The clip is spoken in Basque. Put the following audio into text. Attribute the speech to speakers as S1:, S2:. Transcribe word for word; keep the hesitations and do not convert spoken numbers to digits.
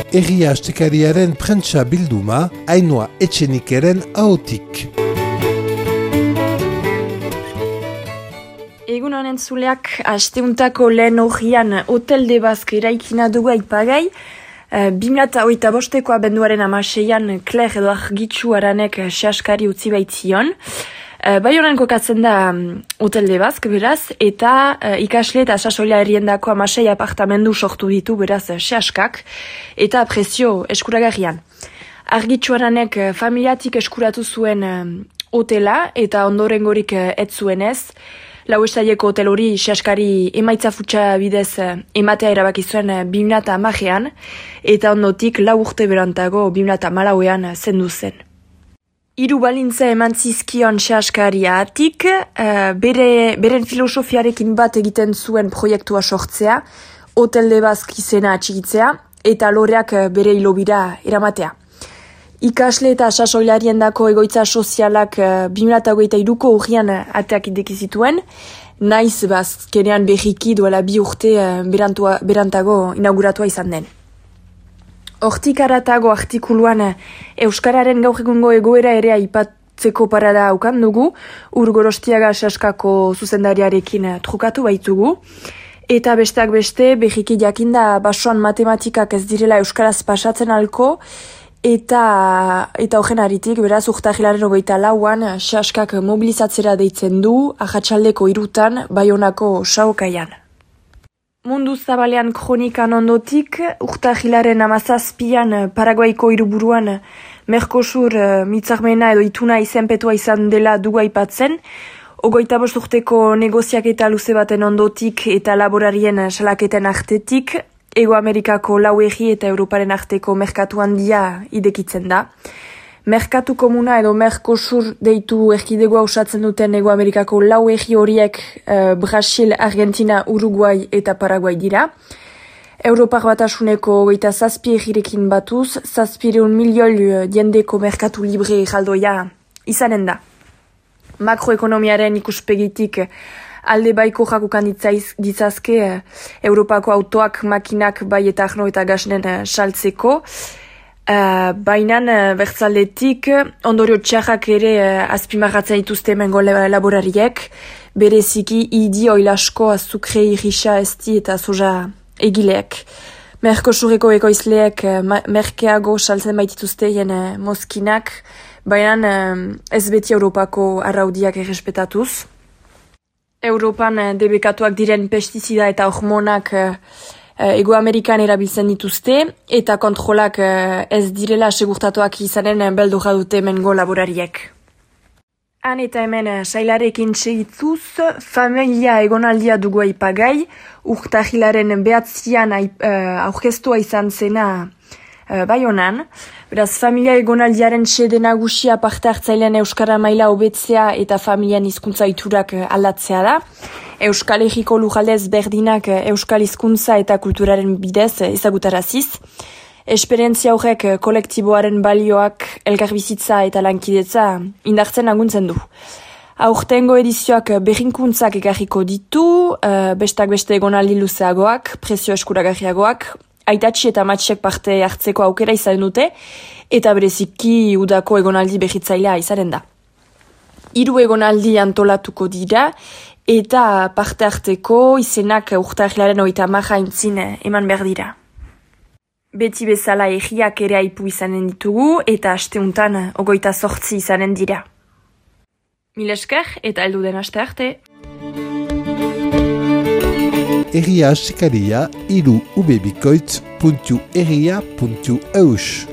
S1: Egia Astekariaren prentsa bilduma, Ainhoa Etxenikeren ahotik.
S2: Egun honen zuleak, asteuntako lehen horrian Hotel de Basque eraikina dugu aipagai. Uh, Bimlata oita bosteko abenduaren amaseian Claire edo argitxu aranek sehaskari utzi baitzion. Uh, bai honen kokatzen da um, Hotel de Basque beraz, eta uh, ikasle eta sasoila herriendako amasei apartamendu sortu ditu beraz uh, sehaskak, eta prezio eskuragarrian. Argitxu aranek uh, familiatik eskuratu zuen uh, hotela eta ondorengorik uh, ez zuenez. Lau estaieko hotel hori sehaskari emaitza futsa bidez ematea erabaki zuen bimlata amajean, eta ondotik lau urte berantago bimlata malauean zendu zen. Hiru balintza eman zizkion sehaskaria atik, uh, bere, beren filosofiarekin bat egiten zuen proiektua sortzea, Hotel de Basque izena atxigitzea, eta loreak bere hilobira eramatea. Ikasle eta sasoilarien dako egoitza sozialak uh, bi mila hogeita hiruko urrian ateak ideki zituen, naiz bazkenean berriki duela bi urte uh, berantua, berantago inauguratua izan den. Hortik aratago artikuluan uh, Euskararen gaur egungo egoera ere aipatzeko parada aukan dugu, Urgorostiaga sehaskako zuzendariarekin uh, trukatu baitugu, eta besteak beste berriki jakinda basoan matematikak ez direla euskaraz pasatzen alko, Eta eta horren aritik, beraz, urtahilaren hogeita lauan, sehaskak mobilizatzera deitzen du, ahatsaldeko hirutan, Baionako saokaian. Mundu zabalean kronikan ondotik, urtahilaren hamazazpian Paraguaiko hiriburuan Mercosur mitzarmena edo ituna izenpetua izan dela dugu aipatzen, hogeita bost urteko negoziaketa luze baten ondotik eta laborarien salaketen artetik, Ego Amerikako lau egi eta Europaren arteko merkatu handia idekitzen da. Merkatu komuna edo Mercosur deitu erkidegoa osatzen duten Ego Amerikako lau egi horiek eh, Brasil, Argentina, Uruguay eta Paraguay dira. Europar Batasuneko hogeita zazpi egirekin batuz, zazpireun milioi jendeko merkatu libre jaldoia izanen da. Makroekonomiaren ikuspegitik alde baiko jakukan ditzazke eh, Europako autoak, makinak, bai eta arno eta gasnen eh, saltzeko. Uh, Bainan uh, bertzaldetik ondorio txarrak ere uh, azpimarratzen dituzte hemengo laborariek, bereziki idi oilasko azukre irisa esti eta soja egileek. Mercosureko ekoizleek uh, merkeago saltzen baitituzte jen uh, mozkinak, bainan uh, ez beti Europako arraudiak errespetatuz. Europan uh, debekatuak diren pestizida eta hormonak uh, Ego Amerikan erabiltzen dituzte, eta kontrolak uh, ez direla segurtatuak izanen uh, beldurra dute hemengo laborariek. Han eta hemen uh, sailarekin segituz, familia egonaldia dugu aipagai, urtahilaren behatzian uh, aurkeztua izan zena uh, Baionan. Beraz, familia egonaldiaren sede nagusia parte hartzailean Euskara maila hobetzea eta familian hizkuntza iturak uh, aldatzea da. Euskal Herriko lujaldez berdinak euskal hizkuntza eta kulturaren bidez ezagutaraziz. Esperientzia horrek kolektiboaren balioak, elkarbizitza eta lankidetza indartzen laguntzen du. Aurtengo edizioak berrinkuntzak ekarriko ditu, uh, bestak beste egonaldi luzeagoak, prezio eskuragarriagoak, aitatxi eta matxek parte hartzeko aukera izan dute, eta bereziki udako egonaldi berritzailea izanen da. Hiru egonaldi antolatuko dira, eta parte harteko izenak urtahilaren hogeita hamar aintzin eman behar dira. Beti bezala egiak ere aipu izanen ditugu eta asteuntan hogeita zortzi izanen dira. Mil esker eta heldu den aste arte.
S1: Egia Astekaria hiru ubebikoitz puntu egia puntu eus.